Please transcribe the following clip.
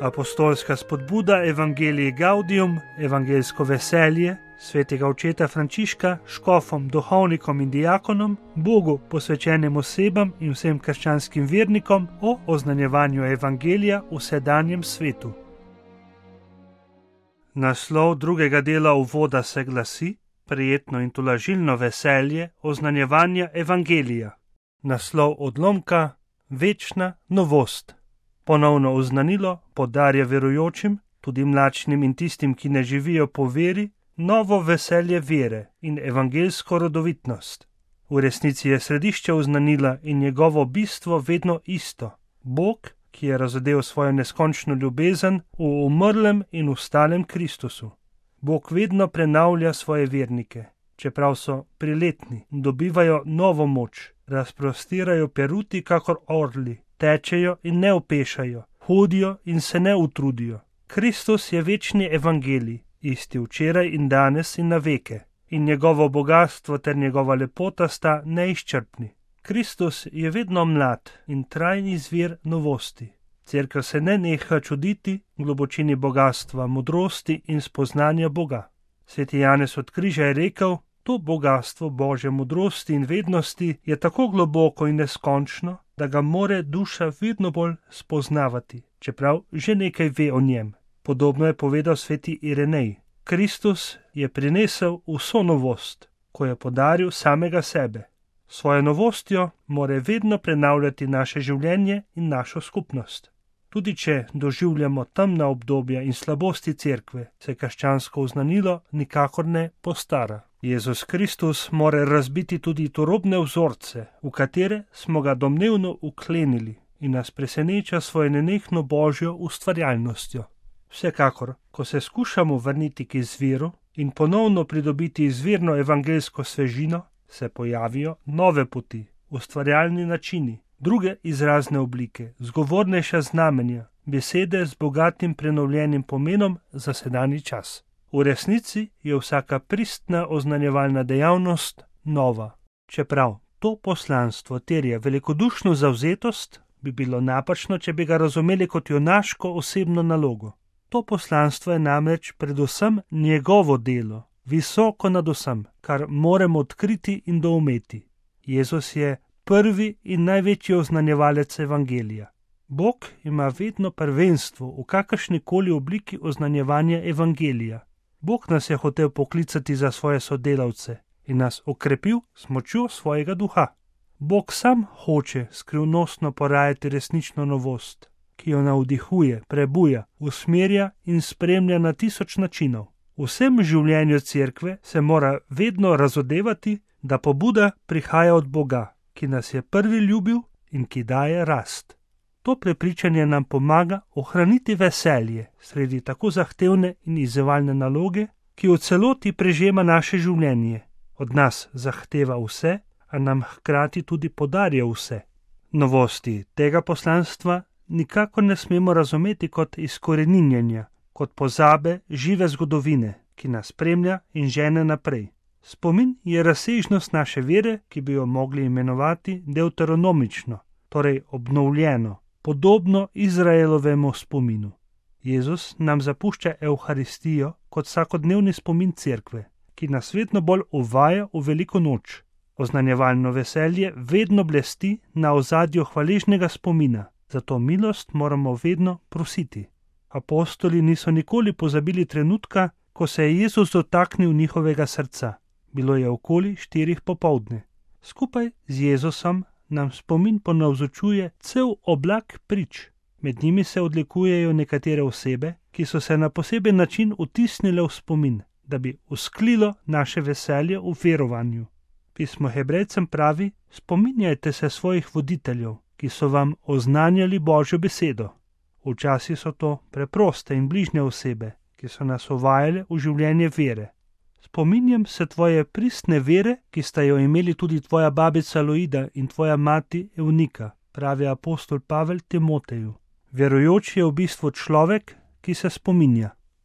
Apostolska spodbuda Evangelii Gaudium, evangeljsko veselje, svetega očeta Frančiška, škofom, duhovnikom in diakonom, Bogu posvečenim osebam in vsem krščanskim vernikom o oznanjevanju evangelija v sedanjem svetu. Naslov drugega dela uvoda se glasi: Prijetno in tolažilno veselje oznanjevanja evangelija. Naslov odlomka: Večna novost. Ponovno oznanilo podarja verujočim, tudi mlačnim in tistim, ki ne živijo po veri, novo veselje vere in evangeljsko rodovitnost. V resnici je središče oznanila in njegovo bistvo vedno isto. Bog, ki je razodel svojo neskončno ljubezen v umrlem in ustalem Kristusu. Bog vedno prenavlja svoje vernike, čeprav so priletni, dobivajo novo moč, razprostirajo peruti kakor orli, tečejo in ne opešajo, hodijo in se ne utrudijo. Kristus je večni evangelij, isti včeraj in danes in na veke, in njegovo bogastvo ter njegova lepota sta neizčrpni. Kristus je vedno mlad in trajni izvir novosti. Cerkev se ne neha čuditi globočini bogastva, modrosti in spoznanja Boga. Sveti Janez od Križa je rekel: to bogastvo Božje modrosti in vednosti je tako globoko in neskončno, da ga more duša vedno bolj spoznavati, čeprav že nekaj ve o njem. Podobno je povedal sveti Irenej. Kristus je prinesel vso novost, ko je podaril samega sebe. Svojo novostjo more vedno prenavljati naše življenje in našo skupnost. Tudi če doživljamo temna obdobja in slabosti cerkve, se krščansko oznanilo nikakor ne postara. Jezus Kristus more razbiti tudi turobne vzorce, v katere smo ga domnevno uklenili, in nas preseneča svojo nenehno božjo ustvarjalnostjo. Vsekakor, ko se skušamo vrniti k izviru in ponovno pridobiti izvirno evangeljsko svežino, se pojavijo nove poti, ustvarjalni načini, druge izrazne oblike, zgovornejša znamenja, besede z bogatim prenovljenim pomenom za sedanji čas. V resnici je vsaka pristna oznanjevalna dejavnost nova. Čeprav to poslanstvo terja velikodušno zavzetost, bi bilo napačno, če bi ga razumeli kot junaško osebno nalogo. To poslanstvo je namreč predvsem njegovo delo, visoko nad vsem, kar moramo odkriti in doumeti. Jezus je prvi in največji oznanjevalec evangelija. Bog ima vedno prvenstvo v kakršnikoli obliki oznanjevanja evangelija. Bog nas je hotel poklicati za svoje sodelavce in nas okrepil s močjo svojega duha. Bog sam hoče skrivnostno porajati resnično novost, ki jo navdihuje, prebuja, usmerja in spremlja na 1000 načinov. V vsem življenju cerkve se mora vedno razodevati, da pobuda prihaja od Boga, ki nas je prvi ljubil in ki daje rast. To prepričanje nam pomaga ohraniti veselje sredi tako zahtevne in izzivalne naloge, ki v celoti prežema naše življenje. Od nas zahteva vse, a nam hkrati tudi podarja vse. Novosti tega poslanstva nikakor ne smemo razumeti kot izkoreninjenja, kot pozabe žive zgodovine, ki nas spremlja in žene naprej. Spomin je razsežnost naše vere, ki bi jo mogli imenovati deuteronomično, torej obnovljeno, podobno Izraelovemu spominu. Jezus nam zapušča Evharistijo kot vsakodnevni spomin cerkve, ki nas vedno bolj uvaja v veliko noč. Oznanjevalno veselje vedno blesti na ozadju hvaležnega spomina, zato milost moramo vedno prositi. Apostoli niso nikoli pozabili trenutka, ko se je Jezus dotaknil njihovega srca. Bilo je okoli 4 popoldne. Skupaj z Jezusom nam spomin ponavzočuje cel oblak prič. Med njimi se odlikujejo nekatere osebe, ki so se na poseben način vtisnile v spomin, da bi usklilo naše veselje v verovanju. Pismo Hebrejcem pravi: spominjajte se svojih voditeljev, ki so vam oznanjali Božjo besedo. Včasih so to preproste in bližnje osebe, ki so nas uvajale v življenje vere. Spominjam se tvoje pristne vere, ki sta jo imeli tudi tvoja babica Loida in tvoja mati Evnika, pravi apostol Pavel Timoteju. Verujoči je v bistvu človek, ki se spominja.